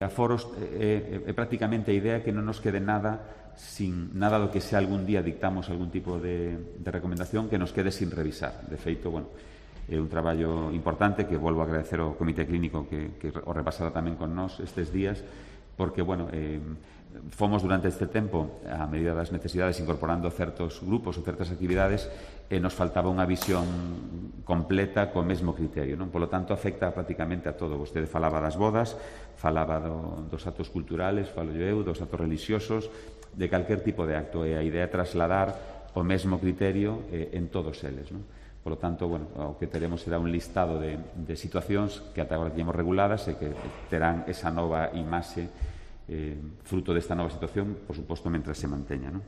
Aforos é prácticamente a idea que non nos quede nada sin nada do que se algún día dictamos algún tipo de recomendación que nos quede sin revisar. De feito, bueno, é un traballo importante que volvo a agradecer ao Comité Clínico que o repasara tamén con nós estes días, porque, bueno, fomos durante este tempo, a medida das necesidades, incorporando certos grupos ou certas actividades e nos faltaba unha visión completa co mesmo criterio, non? Polo tanto, afecta prácticamente a todo. Vostede falaba das bodas, falaba dos actos culturales, falo eu, dos actos religiosos, de calquer tipo de acto, e a idea é trasladar o mesmo criterio en todos eles, non? Por lo tanto, bueno, o que teremos será un listado de situacións que ata agora teñemos reguladas e que terán esa nova imaxe fruto desta nova situación, por suposto, mentre se manteña, non?